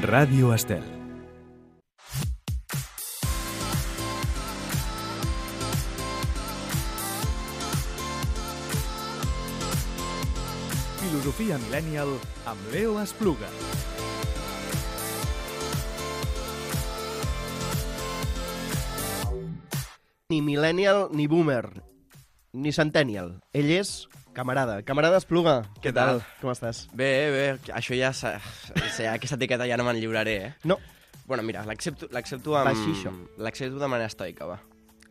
Ràdio Estel. Filosofia Millennial amb Leo Espluga. Ni millennial ni boomer, ni centennial. Ell és camarada. Camarada Espluga. Què tal? Com estàs? Bé, això ja... Aquesta etiqueta ja no me'n lliuraré, eh? No. Bueno, mira, l'accepto amb... Baixixo. L'accepto de manera estoica, va.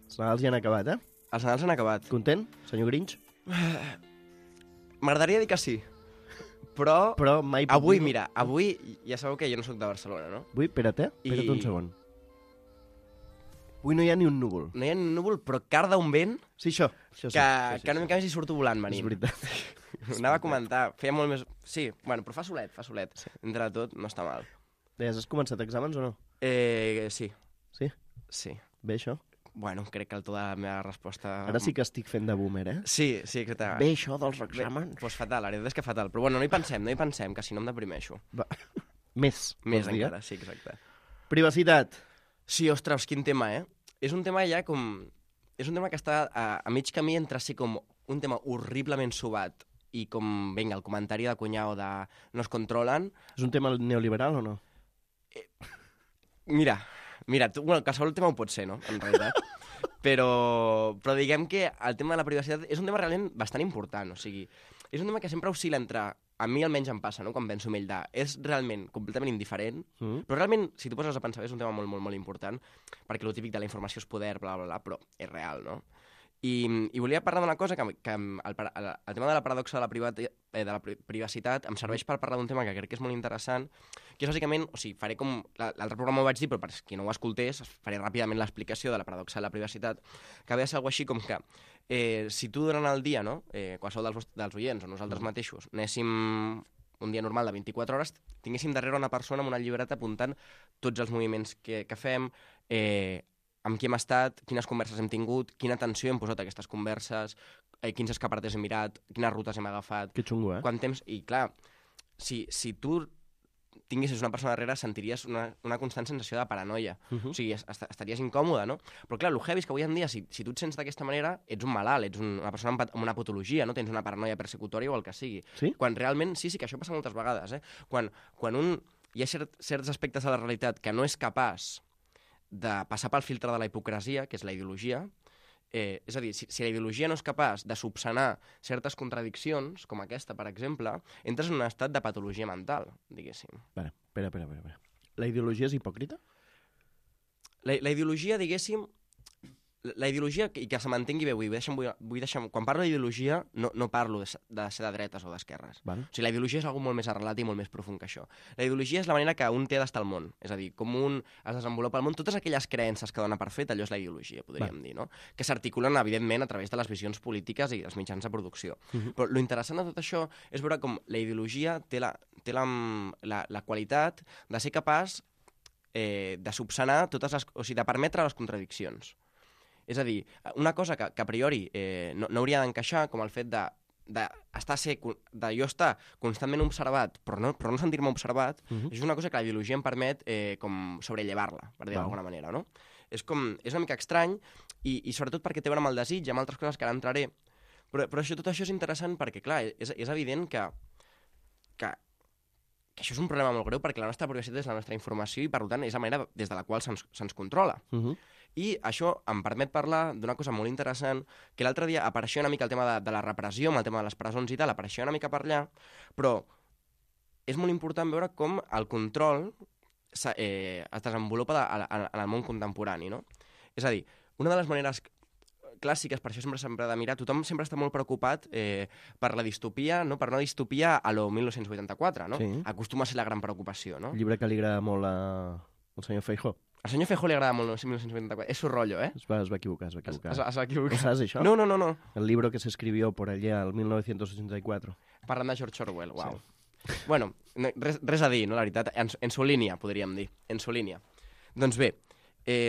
Els Nadals ja han acabat, eh? Els Nadals han acabat. Content, senyor Grinch? M'agradaria dir que sí. Però mai... avui, mira, avui ja sabeu que jo no sóc de Barcelona, no? Avui, espera't un segon. Avui no hi ha ni un núvol. No hi ha ni un núvol, però carda un vent Sí, això sí. que una mica més hi surto volant venint. És veritat. Anava a comentar, feia molt més... Sí, bueno, però fa solet. Sí. Entre tot, no està mal. Deies, has començat exàmens o no? Sí. Sí? Sí. Bé, això? Bueno, crec que el to de la meva resposta... Ara sí que estic fent de boomer, eh? Sí, exacte. Bé, això dels exàmens? Doncs fatal, la veritat és que fatal. Però bueno, no hi pensem, que si no em deprimeixo. Va. Més encara, sí, exacte. Privacitat. Sí, ostres, quin tema, eh? És un tema ja com... És un tema que està a mig camí entre ser com un tema horriblement subat i com, vinga, el comentari de cunyau de no es controlen. És un tema neoliberal o no? Mira, bueno, qualsevol tema ho pot ser, no?, en realitat. Però diguem que el tema de la privacitat és un tema realment bastant important, o sigui, és un tema que sempre oscil·la entre... A mi almenys em passa, no?, quan penso en ell és realment completament indiferent, però realment, si tu poses a pensar, és un tema molt, molt, molt important, perquè el típic de la informació és poder, bla, bla, bla, però és real, no? I volia parlar d'una cosa que el tema de la paradoxa de la privacitat em serveix per parlar d'un tema que crec que és molt interessant, que és bàsicament, o sigui, faré com... L'altre programa ho vaig dir, però per qui no ho escoltés, faré ràpidament l'explicació de la paradoxa de la privacitat, que ve a ser alguna així com que si tu durant el dia, no?, qualsevol dels oients o nosaltres mateixos, anéssim un dia normal de 24 hores, tinguéssim darrere una persona amb una llibreta apuntant tots els moviments que fem, amb qui hem estat, quines converses hem tingut, quina atenció hem posat a aquestes converses, quins escaparates hem mirat, quines rutes hem agafat... Que xungo, Quant temps... I clar, si tu tinguessis una persona darrere, sentiries una constant sensació de paranoia. O sigui, estaries incòmode, no? Però clar, el heavy és que avui en dia, si tu et sents d'aquesta manera, ets un malalt, ets una persona amb una patologia, no? Tens una paranoia persecutòria o el que sigui. Sí? Quan realment, sí, que això passa moltes vegades, eh? Quan hi ha certs aspectes de la realitat que no és capaç de passar pel filtre de la hipocresia, que és la ideologia, és a dir, si la ideologia no és capaç de subsanar certes contradiccions, com aquesta, per exemple, entres en un estat de patologia mental, diguéssim. Espera. La ideologia és hipòcrita? La ideologia, diguéssim, la ideologia, i que se m'entengui bé, vull deixar, quan parlo d'ideologia no parlo de ser de dretes o d'esquerres. O sigui, la ideologia és algo molt més arrelat i molt més profund que això. La ideologia és la manera que un té d'estar al món, és a dir, com un es desenvolupa al món, totes aquelles creences que dona per fet, allò és la ideologia, podríem dir, no? Que s'articulen, evidentment, a través de les visions polítiques i els mitjans de producció. Però l'interessant de tot això és veure com la ideologia té la qualitat de ser capaç de subsanar totes les... O sigui, de permetre les contradiccions. És a dir, una cosa que a priori no hauria d'encaixar, com el fet de jo estar constantment observat, però no sentir-me observat, és una cosa que la ideologia em permet com sobrellevar-la, per dir d'alguna manera, no? És una mica estrany, i sobretot perquè té a veure amb el desig, amb altres coses que ara entraré, però tot això és interessant perquè, clar, és evident que això és un problema molt greu perquè la nostra privacitat és la nostra informació i, per tant, és la manera des de la qual se'ns controla. I això em permet parlar d'una cosa molt interessant, que l'altre dia apareixia una mica el tema de la repressió, amb el tema de les presons i tal, apareixia una mica per allà, però és molt important veure com el control es desenvolupa en el món contemporani, no? És a dir, una de les maneres clàssiques, per això sempre s'ha de mirar, tothom sempre està molt preocupat per la distopia, no? Per una distopia a lo 1984, no? Sí. Acostuma a ser la gran preocupació, no? El llibre que li agrada molt al senyor Feijóo. Al senyor Feijóo li agrada molt el 1984. És su rollo, ¿eh? Es va equivocar. ¿Se va equivocar? ¿No sabes això? No. El libro que se escribió por allá, el 1984. Parlant de George Orwell, uau. Sí. Bueno, res a dir, no, la veritat. En su línia, podríem dir. En su línia. Doncs bé,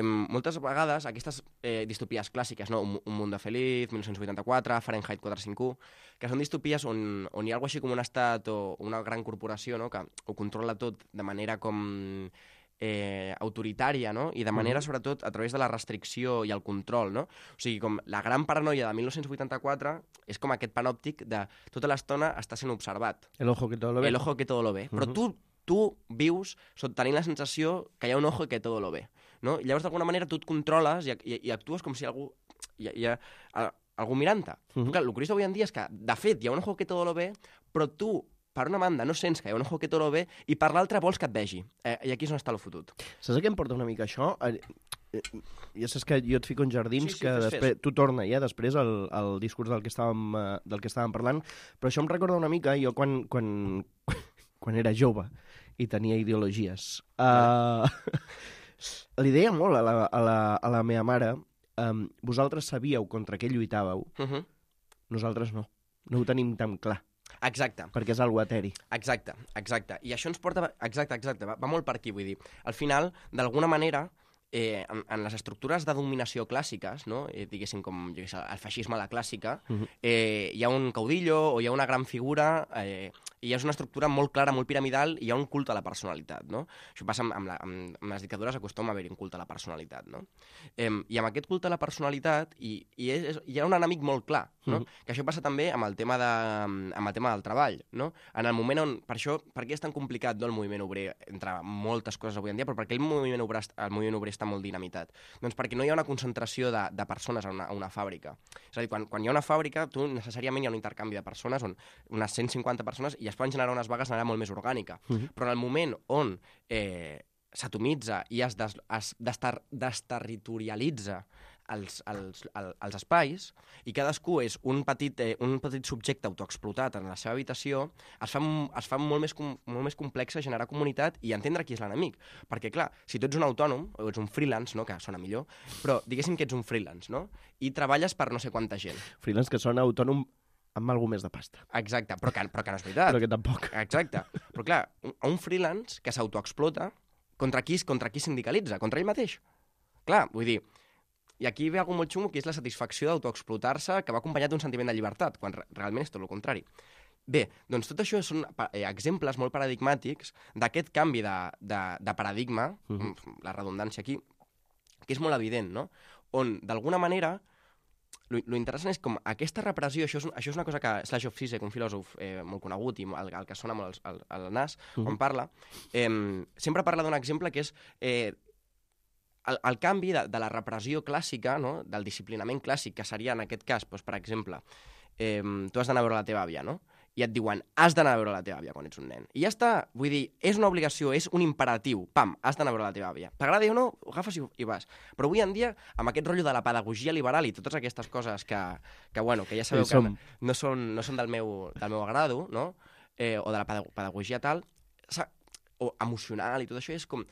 moltes vegades aquestes distopies clàssiques, no? Un mundo feliz, 1984, Fahrenheit 451, que són distopies on hi ha alguna així com un estat o una gran corporació, no? Que ho controla tot de manera com autoritària, no? I de manera, sobretot, a través de la restricció i el control, no? O sigui, com la gran paranoia de 1984 és com aquest panòptic de tota l'estona està sent observat. El ojo que todo lo ve. El ojo que todo lo ve. Però tu vius tenint la sensació que hi ha un ojo que todo lo ve, no? I llavors, d'alguna manera, tu et controles i actues com si hi ha algú mirant-te. Clar, el curiós d'avui en dia és que, de fet, hi ha un ojo que todo lo ve, però tu, per una banda, no sents que hi ha un ojo que todo lo ve i per l'altra vols que et vegi. I aquí és on està el fotut. Saps a què em porta una mica això? Ja saps que jo et fico en jardins que després tu torna ja després al discurs del que estàvem parlant, però això em recorda una mica jo quan era jove i tenia ideologies. Li deia molt a la meva mare, vosaltres sabíeu contra què lluitàveu, nosaltres no ho tenim tan clar. Exacte. Perquè és algo eteri. Exacte. I això ens porta... Exacte, va molt per aquí, vull dir. Al final, d'alguna manera, en les estructures de dominació clàssiques, no? Diguéssim, com el feixisme a la clàssica, hi ha un caudillo o hi ha una gran figura, i és una estructura molt clara, molt piramidal, i hi ha un culte a la personalitat, no? Això passa amb les dictadures, acostuma a haver-hi un culte a la personalitat, no? I amb aquest culte a la personalitat hi ha un enemic molt clar, no? Que això passa també amb el tema del treball, no? En el moment on... Per què és tan complicat, no, el moviment obrer, entre moltes coses avui en dia, però perquè el moviment obrer està molt dinamitat? Doncs perquè no hi ha una concentració de persones a una fàbrica. És a dir, quan hi ha una fàbrica, tu necessàriament hi ha un intercanvi de persones, on unes 150 persones, i es poden generar unes vagues de manera molt més orgànica. Però en el moment on s'atomitza i es desterritorialitza els espais i cadascú és un petit subjecte autoexplotat en la seva habitació, es fa molt més complex generar comunitat i entendre qui és l'enemic. Perquè, clar, si tu ets un autònom o ets un freelance, no? Que sona millor, però diguéssim que ets un freelance, no? I treballes per no sé quanta gent. Freelance que sona autònom amb alguna més de pasta. Exacte, però que no és veritat. Però que tampoc. Exacte. Però clar, un freelance que s'autoexplota, contra qui sindicalitza? Contra ell mateix. Clar, vull dir, i aquí ve algo molt xungo, que és la satisfacció d'autoexplotar-se, que va acompanyat d'un sentiment de llibertat, quan realment és tot el contrari. Bé, doncs tot això són exemples molt paradigmàtics d'aquest canvi de paradigma, la redundància aquí, que és molt evident, no? On, d'alguna manera, lo interessant és com aquesta repressió, això és una cosa que Slavoj Zizek, un filòsof molt conegut i el que sona molt al nas, quan parla, sempre parla d'un exemple que és el canvi de la repressió clàssica, no? Del disciplinament clàssic, que seria en aquest cas, doncs, per exemple, tu has d'anar a veure la teva àvia, no? I et diuen, has d'anar a veure la teva àvia quan ets un nen. I ja està, vull dir, és una obligació, és un imperatiu. Pam, has d'anar a veure la teva àvia. T'agrada o no, ho agafes i vas. Però avui en dia, amb aquest rotllo de la pedagogia liberal i totes aquestes coses que ja sabeu que no són del meu agrado, no? O de la pedagogia tal, o emocional i tot això, és com...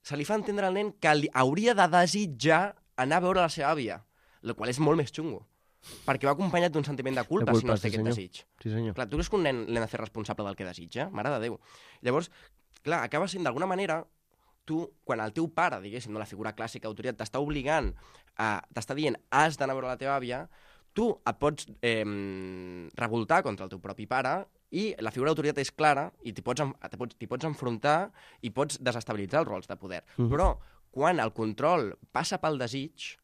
Se li fa entendre al nen que hauria de desitjar anar a veure la seva àvia, el qual és molt més xungo. Perquè va acompanyat d'un sentiment de culpa si no té aquest desig. Sí, senyor. Clar, tu creus que un nen l'hem de fer responsable del que desitja? Mare de Déu. Llavors, clar, acaba sent d'alguna manera, tu, quan el teu pare, diguéssim, no, la figura clàssica d'autoritat, t'està obligant, t'està dient, has d'anar a veure la teva àvia, tu et pots revoltar contra el teu propi pare i la figura d'autoritat és clara i t'hi pots enfrontar i pots desestabilitzar els rols de poder. Però quan el control passa pel desig,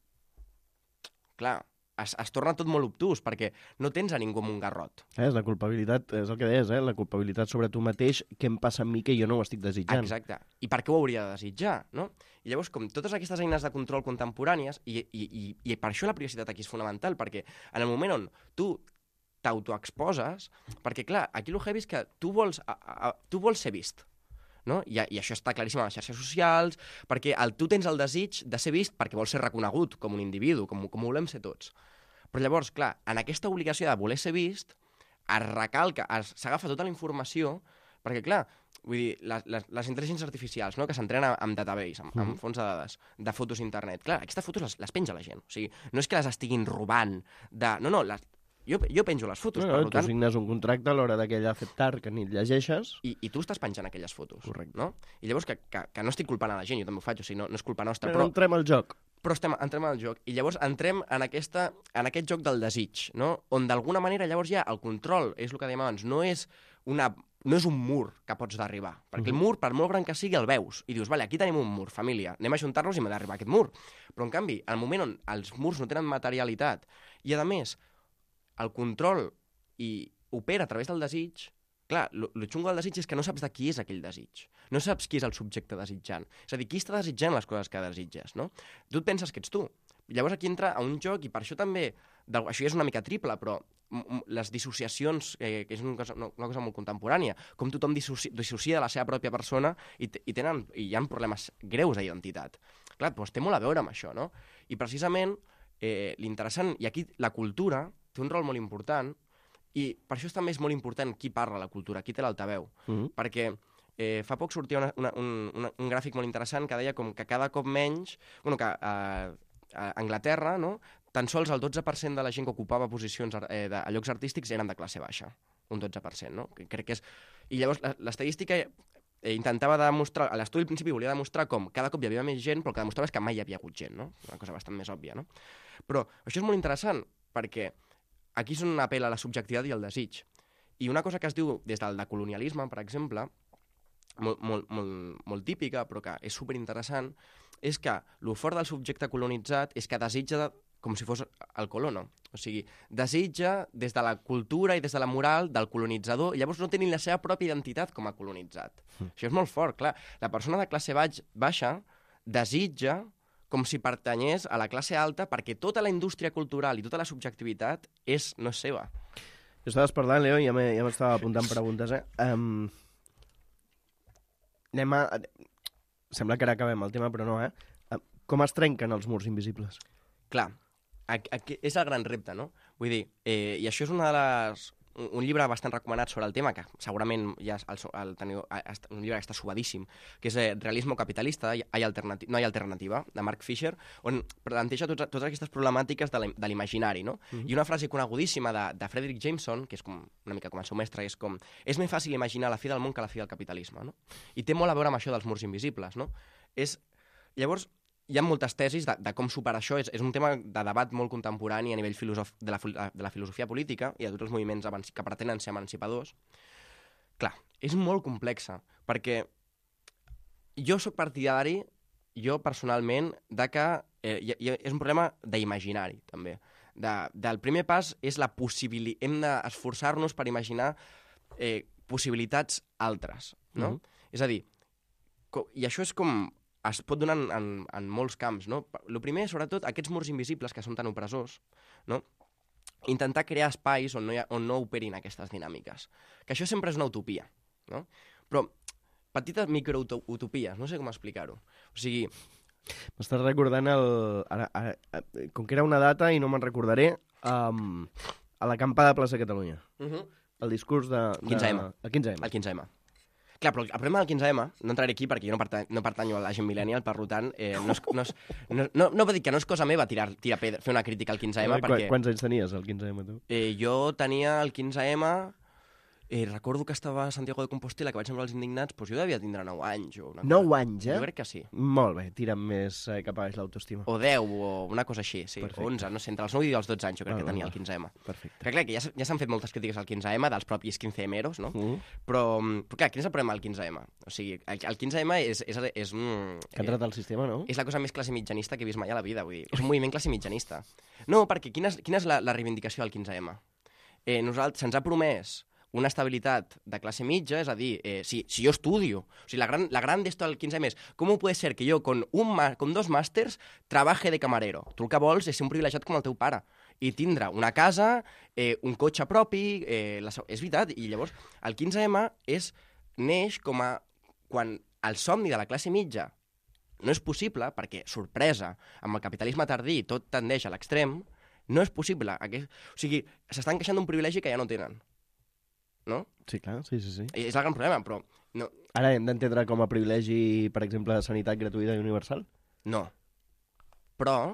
clar, es torna tot molt obtús, perquè no tens a ningú amb un garrot. És la culpabilitat, és el que deies, la culpabilitat sobre tu mateix, què em passa amb mi que jo no ho estic desitjant. Exacte. I per què ho hauria de desitjar, no? I llavors, com totes aquestes eines de control contemporànies, i per això la privacitat aquí és fonamental, perquè en el moment on tu t'autoexposes, perquè, clar, aquí el heavy és que tu vols ser vist, no? I això està claríssim a les xarxes socials, perquè tu tens el desig de ser vist perquè vols ser reconegut com un individu, com volem ser tots. Però llavors, clar, en aquesta obligació de voler ser vist, es recalca, s'agafa tota la informació, perquè, clar, vull dir, les intel·ligències artificials, no?, que s'entrenen amb database, amb fons de dades, de fotos d'internet, clar, aquestes fotos les penja la gent. O sigui, no és que les estiguin robant, no, Jo penjo les fotos, per tant... Tu signes un contracte a l'hora d'aquell acceptar que ni et llegeixes... I tu estàs penjant aquelles fotos. Correcte. No? I llavors que no estic culpant a la gent, jo també ho faig, o sigui, no és culpa nostra, però entrem al joc. Però entrem al joc. I llavors entrem en aquest joc del desig, no? On d'alguna manera llavors ja el control, és el que dèiem abans, no és un mur que pots d'arribar. Perquè el mur, per molt gran que sigui, el veus. I dius, vale, aquí tenim un mur, família, anem a ajuntar-nos i m'ha d'arribar aquest mur. Però, en canvi, al moment on els murs no tenen materialitat i, a més, el control opera a través del desig, clar, el xungo del desig és que no saps de qui és aquell desig. No saps qui és el subjecte desitjant. És a dir, qui està desitjant les coses que desitges, no? Tu et penses que ets tu. Llavors aquí entra a un joc, i per això també, això ja és una mica triple, però les dissociacions, que és una cosa molt contemporània, com tothom dissocia de la seva pròpia persona i hi ha problemes greus d'identitat. Clar, doncs té molt a veure amb això, no? I precisament l'interessant, i aquí la cultura té un rol molt important, i per això també és molt important qui parla la cultura, qui té l'altaveu. Perquè fa poc sortia un gràfic molt interessant que deia com que cada cop menys... que a Anglaterra, no?, tan sols el 12% de la gent que ocupava posicions a llocs artístics eren de classe baixa. Un 12%, no? Crec que és... I llavors l'estadística intentava demostrar... L'estudi al principi volia demostrar com cada cop hi havia més gent, però el que demostrava és que mai hi havia hagut gent, no? Una cosa bastant més òbvia, no? Però això és molt interessant, perquè aquí és on apel·la la subjectivitat i el desig. I una cosa que es diu des del decolonialisme, per exemple, molt típica, però que és superinteressant, és que el fort del subjecte colonitzat és que desitja com si fos el colono. O sigui, desitja des de la cultura i des de la moral del colonitzador, i llavors no té ni la seva pròpia identitat com a colonitzat. Això és molt fort, clar. La persona de classe baixa desitja com si pertanyés a la classe alta perquè tota la indústria cultural i tota la subjectivitat no és seva. Jo estaves parlant, Leo, i ja m'estava apuntant preguntes, Sembla que ara acabem el tema, però no, Com es trenquen els murs invisibles? Clar, és el gran repte, no? Vull dir, i això és un llibre bastant recomanat sobre el tema, que segurament ja un llibre que està subadíssim, que és Realismo capitalista, no hi ha alternativa, de Mark Fisher, on planteja totes aquestes problemàtiques de l'imaginari, no? I una frase conegudíssima de Frederick Jameson, que és una mica com el seu mestre, és com, és més fàcil imaginar la fi del món que la fi del capitalisme, no? I té molt a veure amb això dels murs invisibles, no? Llavors, hi ha moltes tesis de com superar això. És un tema de debat molt contemporani a nivell de la filosofia política i de tots els moviments que pretenen ser emancipadors. Clar, és molt complexa, perquè jo sóc partidari, jo personalment, de que és un problema d'imaginari, també. Del primer pas és la possibilitat... Hem d'esforçar-nos per imaginar possibilitats altres, no? És a dir, i això és com... es pot donar en molts camps, no? El primer, sobretot, aquests murs invisibles que són tan opressors, no? Intentar crear espais on no operin aquestes dinàmiques. Que això sempre és una utopia, no? Però petites microutopies, no sé com explicar-ho. O sigui... M'estàs recordant com que era una data i no me'n recordaré, a l'acampada de Plaça Catalunya. El discurs de... El 15M. El 15M. El 15M. Clar, però el problema del 15M, no entraré aquí perquè jo no pertanyo a la gent millennial, per tant, no va dir que no és cosa meva tirar pedra, fer una crítica al 15M, perquè... Quants anys tenies, el 15M, tu? Jo tenia el 15M... recordo que estava a Santiago de Compostela, que vaig semblar els indignats, doncs jo devia tindre 9 anys o una cosa. 9 anys, Jo crec que sí. Molt bé, tira'm més cap a baix l'autoestima. O 10, o una cosa així, sí. Perfecte. O 11, no sé, entre els 9 i els 12 anys jo crec que tenia el 15M. Perfecte. Que clar, que ja s'han fet moltes crítiques al 15M, dels propis 15emeros, no? Però clar, quin és el problema del 15M? O sigui, el 15M és que ha entrat al sistema, no? És la cosa més classe mitjanista que he vist mai a la vida, vull dir. És un moviment classe mitjanista. No, perquè quina és la reivindicació del 15M? Se'ns ha promès una estabilitat de classe mitja, és a dir, si jo estudio, o sigui, la gran d'esto del 15M és ¿cómo puede ser que yo con 2 màsters trabaje de camarero? Tu el que vols és ser un privilegiat com el teu pare i tindre una casa, un cotxe propi, és veritat, i llavors el 15M neix com a quan el somni de la classe mitja no és possible, perquè, sorpresa, amb el capitalisme tardí tot tendeix a l'extrem, no és possible. O sigui, s'estan queixant d'un privilegi que ja no tenen. No? Sí, clar, sí. És el gran problema, però... No. Ara hem d'entendre com a privilegi, per exemple, de sanitat gratuïta i universal? No. Però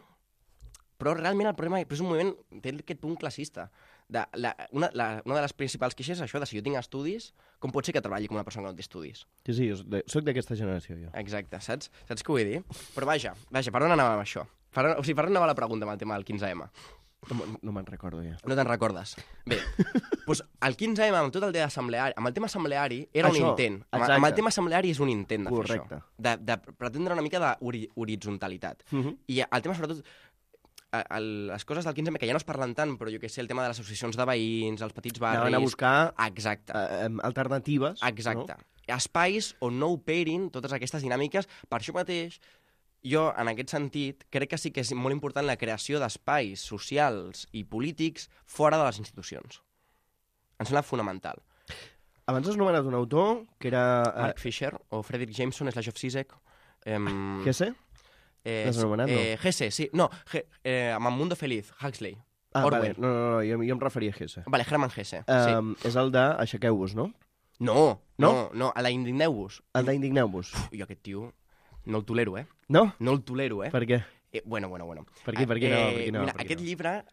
realment el problema és un moviment, té aquest punt classista, una de les principals queixes és això, de si jo tinc estudis, com pot ser que treballi com una persona que no té estudis? Sí, soc d'aquesta generació, jo. Exacte, saps què vull dir? Però vaja, per on anàvem amb això? Per on anava la pregunta amb el tema del 15M? No me'n recordo, ja. No te'n recordes? Bé, doncs el 15M, amb tot el tema assembleari, amb el tema assembleari era un intent. Amb el tema assembleari és un intent de fer això. De pretendre una mica d'horizontalitat. I el tema, sobretot, les coses del 15M, que ja no es parlen tant, però jo què sé, el tema de les associacions de veïns, els petits barris... Anaven a buscar alternatives. Exacte. Espais on no operin totes aquestes dinàmiques. Per això mateix, jo, en aquest sentit, crec que sí que és molt important la creació d'espais socials i polítics fora de les institucions. Em sembla fonamental. Abans has nomenat un autor que era... Mark Fisher o Frederick Jameson, Slashdot Zizek. Gese? L'has anomenat, no? Gese, sí. No, amb Mundo Feliz, Huxley. Vale. No, jo em referia a Gese. Vale, Herman Gese. És el de Aixequeu-vos, no? No, a la Indigneu-vos. El d'Indigneu-vos. Jo aquest tio no el tolero, No? No el tolero, Per què? Bueno. Per què no? Mira, aquest llibre,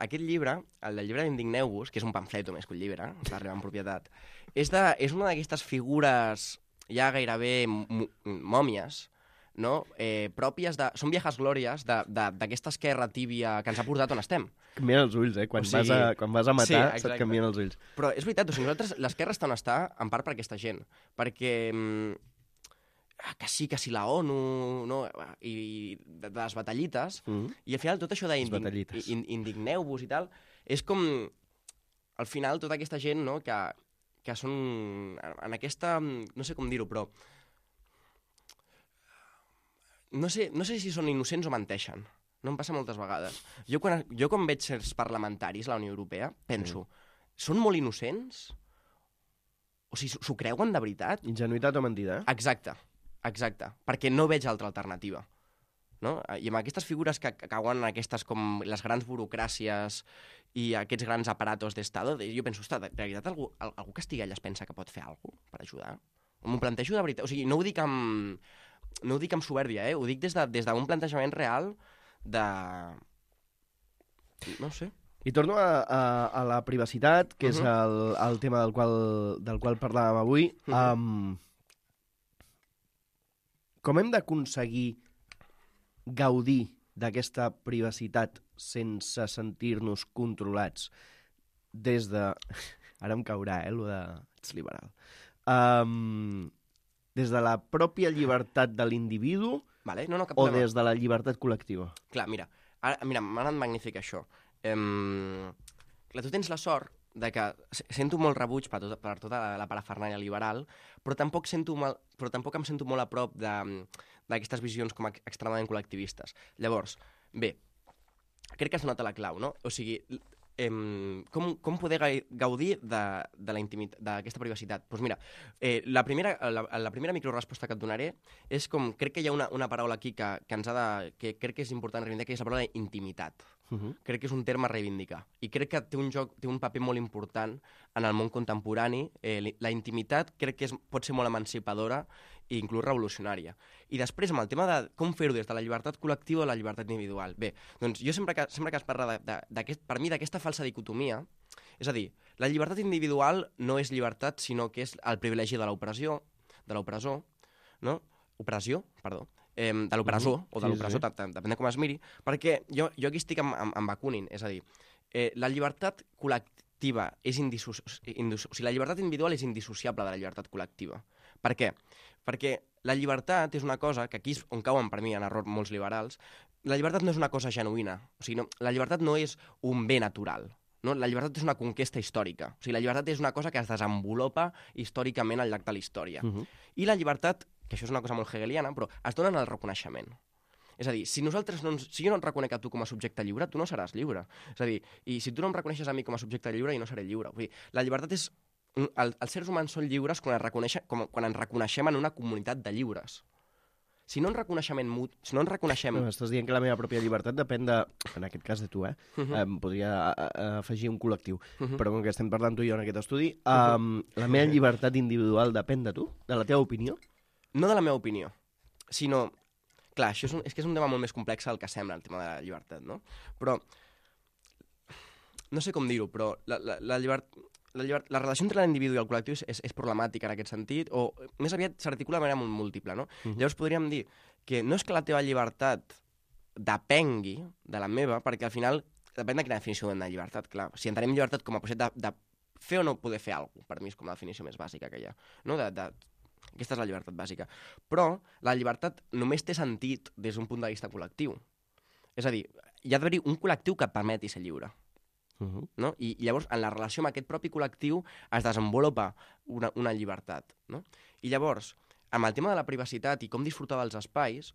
el del llibre d'Indigneu-vos, que és un pamfleto més que un llibre, està arribant en propietat, és una d'aquestes figures ja gairebé mòmies, no? Pròpies de... Són viejas glòries d'aquesta esquerra tíbia que ens ha portat on estem. Canvien els ulls, Quan vas a matar, se't canvien els ulls. Però és veritat, nosaltres, l'esquerra està on està, en part per aquesta gent. Perquè... que sí la ONU, no? I de les batallites, i al final tot això d'indigneu-vos i tal, és com, al final, tota aquesta gent, no?, que són en aquesta... No sé com dir-ho, però... No sé si són innocents o menteixen. No em passa moltes vegades. Jo quan veig certs parlamentaris a la Unió Europea, penso, són molt innocents? O sigui, s'ho creuen de veritat? Ingenuïtat o mentida, Exacte, perquè no veig altra alternativa. No? I amb aquestes figures que cauen en aquestes com les grans burocràcies i aquests grans aparatos d'Estado, jo penso, ostres, de veritat algú que estigui allà es pensa que pot fer alguna cosa per ajudar? M'ho plantejo de veritat. O sigui, no ho dic amb supèrbia, ho dic des d'un plantejament real de... No sé. I torno a la privacitat, que és el tema del qual parlàvem avui. Com hem d'aconseguir gaudir d'aquesta privacitat sense sentir-nos controlats des de... Ara em caurà, lo de... Ets liberal. Des de la pròpia llibertat de l'individu o des de la llibertat col·lectiva? Clar, mira, m'ha anat magnífic això. Clar, tu tens la sort de que sento molt rebuig per tota la parafernàlia liberal, però tampoc em sento molt a prop d'aquestes visions com extremadament col·lectivistes. Llavors, bé, crec que has donat la clau, no? O sigui, com poder gaudir de la intimitat, d'aquesta privacitat? Doncs mira, la primera microresposta que et donaré és com, crec que hi ha una paraula aquí que crec que és important reivindicar, que és la paraula intimitat. Crec que és un terme a reivindicar. I crec que té un paper molt important en el món contemporani. La intimitat crec que pot ser molt emancipadora i inclús revolucionària. I després, amb el tema de com fer-ho des de la llibertat col·lectiva o la llibertat individual. Bé, doncs jo sempre que es parla per mi d'aquesta falsa dicotomia, és a dir, la llibertat individual no és llibertat, sinó que és el privilegi de l'opressor, no? Opressió, perdó. De l'opressor, o de l'opressor, depèn de com es miri, perquè jo aquí estic amb Bakunin, és a dir, la llibertat col·lectiva és la llibertat individual és indissociable de la llibertat col·lectiva. Per què? Perquè la llibertat és una cosa que aquí és on cauen per mi en error molts liberals. La llibertat no és una cosa genuïna, o sigui, la llibertat no és un bé natural. No? La llibertat és una conquesta històrica. O sigui, la llibertat és una cosa que es desenvolupa històricament al llarg de la història. I la llibertat, que això és una cosa molt hegeliana, però es dona en el reconeixement. És a dir, si jo no et reconec a tu com a subjecte lliure, tu no seràs lliure. És a dir, i si tu no em reconeixes a mi com a subjecte lliure, jo no seré lliure. Vull dir, la llibertat és... Els seres humans són lliures quan ens reconeixem en una comunitat de lliures. Si no ens reconeixem... Estàs dient que la meva pròpia llibertat depèn de, en aquest cas de tu, podria afegir un col·lectiu, però com que estem parlant tu i jo en aquest estudi, la meva llibertat individual depèn de tu? De la teva opinió? No de la meva opinió, sinó... Clar, això és que és un tema molt més complex del que sembla, el tema de la llibertat, no? Però no sé com dir-ho, però la relació entre l'individu i el col·lectiu és problemàtica en aquest sentit, o més aviat s'articula de manera molt múltiple, no? Llavors podríem dir que no és que la teva llibertat depengui de la meva, perquè al final depèn de quina definició de llibertat, clar. Si entenem llibertat com a possibilitat de fer o no poder fer alguna cosa, per mi és com la definició més bàsica que hi ha, no? Aquesta és la llibertat bàsica. Però la llibertat només té sentit des d'un punt de vista col·lectiu. És a dir, hi ha d'haver-hi un col·lectiu que et permeti ser lliure. No? I llavors, en la relació amb aquest propi col·lectiu es desenvolupa una llibertat. No? I llavors, amb el tema de la privacitat i com disfrutar dels espais,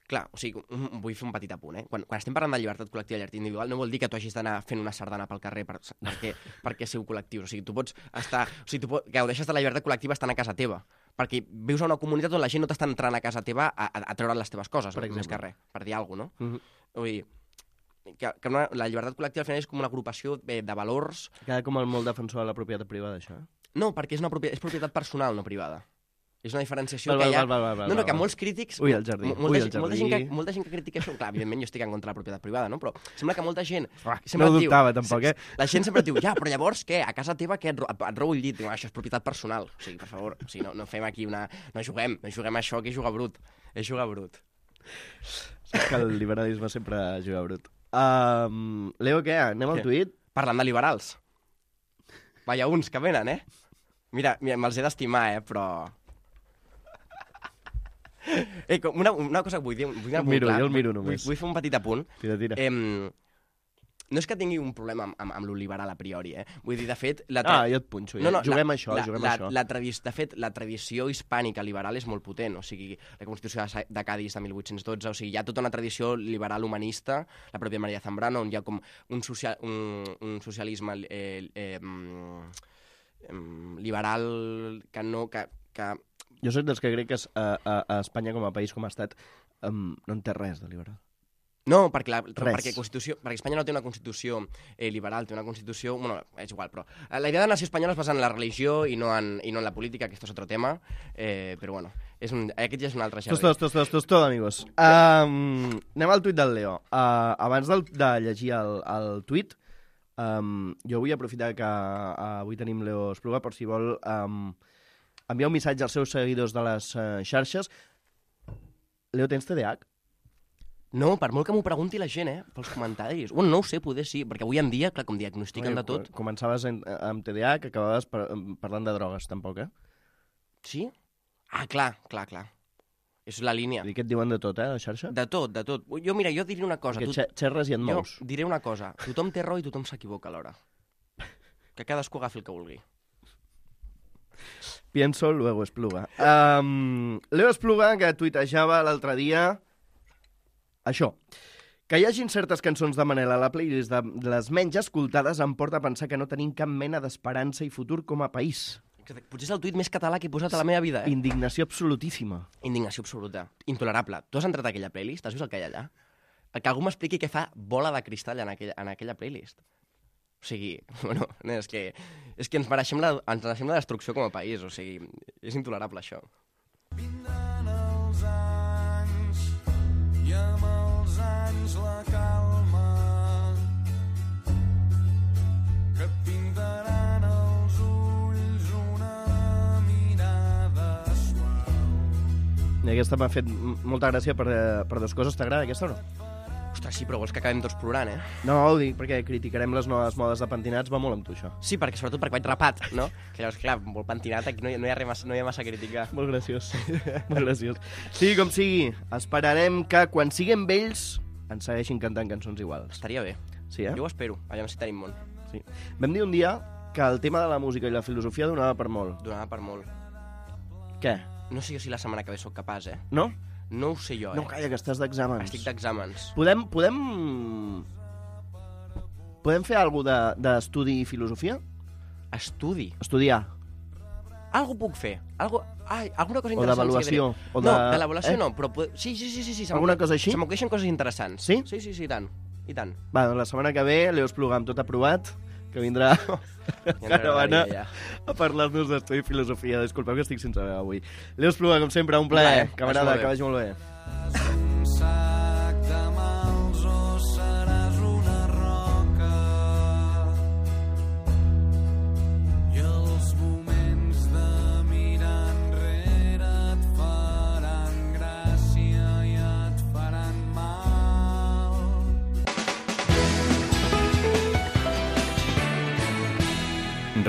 clar, o sigui, vull fer un petit apunt, eh? Quan estem parlant de llibertat col·lectiva i llibertat individual, no vol dir que tu hagis d'anar fent una sardana pel carrer perquè sou col·lectius. O sigui, tu pots estar... O sigui, tu gaudeixes de la llibertat col·lectiva estant a casa teva, perquè vius a una comunitat on la gent no t'està entrant a casa teva a treure les teves coses, més que res, per dir alguna cosa, no? Vull dir, que la llibertat col·lectiva al final és com una agrupació de valors... Queda com el molt defensor de la propietat privada, això. No, perquè és propietat personal, no privada. És una diferenciació que hi ha... No, que molts crítics... Ui, el jardí. Molta gent que critica això... Clar, evidentment jo estic en contra de la propietat privada, no? Però sembla que molta gent... No ho dubtava, tampoc, eh? La gent sempre diu, ja, però llavors què? A casa teva què? Et robo el llit? Això és propietat personal. O sigui, per favor, o sigui, no fem aquí una... No juguem a això, que és jugar brut. És jugar brut. Saps que el liberalisme sempre juga brut. Leo, què? Anem al tuit? Parlant de liberals. Vaya uns que venen, eh? Mira, me'ls he d'estimar, però... Una cosa que vull dir... Jo el miro només. Vull fer un petit apunt. Tira. No és que tingui un problema amb lo liberal a priori, eh? Vull dir, de fet... jo et punxo. Juguem a això. De fet, la tradició hispànica liberal és molt potent. O sigui, la Constitució de Cádiz de 1812, o sigui, hi ha tota una tradició liberal humanista, la pròpia María Zambrano, on hi ha com un socialisme liberal que no... Jo soc dels que crec que a Espanya com a país, com a estat, no en té res de liberal. No, perquè Espanya no té una constitució liberal, té una constitució... Bueno, és igual, però... La idea de nació espanyola es basa en la religió i no en la política, que esto es otro tema, però bueno, aquest ja és un altre xerri. Tot, amigos. Anem al tuit del Leo. Abans de llegir el tuit, jo vull aprofitar que avui tenim Leo Espluga, per si vol enviar un missatge als seus seguidors de les xarxes. Leo, tens TDAH? No, per molt que m'ho pregunti la gent, pels comentaris. Bueno, no ho sé, poder sí, perquè avui en dia, clar, com diagnostiquen de tot... Començaves amb TDAH, que acabaves parlant de drogues, tampoc, eh? Sí? Ah, clar. És la línia. I què et diuen de tot, a la xarxa? De tot. Jo diré una cosa. Perquè xerres i et mous. Jo diré una cosa. Tothom té raó i tothom s'equivoca alhora. Que cadascú agafi el que vulgui. Pienso, luego Espluga. Leo Espluga, que tuitejava l'altre dia... Això, que hi hagin certes cançons de Manel a la playlist de les menys escoltades em porta a pensar que no tenim cap mena d'esperança i futur com a país. Potser és el tuit més català que he posat a la meva vida, eh? Indignació absolutíssima. Indignació absoluta. Intolerable. Tu has entrat a aquella playlist? Has vist el que hi ha allà? Que algú m'expliqui què fa Bola de Cristall en aquella playlist. O sigui, bueno, és que ens mereixem la destrucció com a país. O sigui, és intolerable, això. Vindran els anys i amb els anys la calma que et pintaran els ulls una mirada suau. I aquesta m'ha fet molta gràcia per dues coses. T'agrada aquesta o no? Ostres, sí, però vols que acabem tots plorant, eh? No, ho dic perquè criticarem les noves modes de pentinats, va molt amb tu, això. Sí, sobretot perquè vaig rapat, no? Que llavors, clar, molt pentinat, aquí no hi ha massa a criticar. Molt graciós. Molt graciós. Sigui com sigui, esperarem que quan siguem vells ens segueixin cantant cançons iguals. Estaria bé. Sí, eh? Jo ho espero, allà si tenim món. Sí. Vam dir un dia que el tema de la música i la filosofia donava per molt. Donava per molt. Què? No sé jo si la setmana que ve sóc capaç, eh? No? No ho sé jo, eh? No, calla, que estàs d'exàmens. Estic d'exàmens. Podem fer alguna cosa d'estudi i filosofia? Estudi? Estudiar. Algo puc fer. Alguna cosa interessant. O d'avaluació. No, de l'avaluació no, però... Sí. Alguna cosa així? Se m'ocorreixen coses interessants. Sí? Sí, i tant. I tant. Va, doncs la setmana que ve, Leo Espluga amb tot aprovat, que vindrà caravana a parlar-nos d'estudi i filosofia. Disculpeu que estic sense veu avui. Leo Espluga, com sempre, un plaer. Camarada, que vagi molt bé. Un sac de mals o seràs un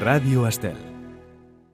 Ràdio Estel.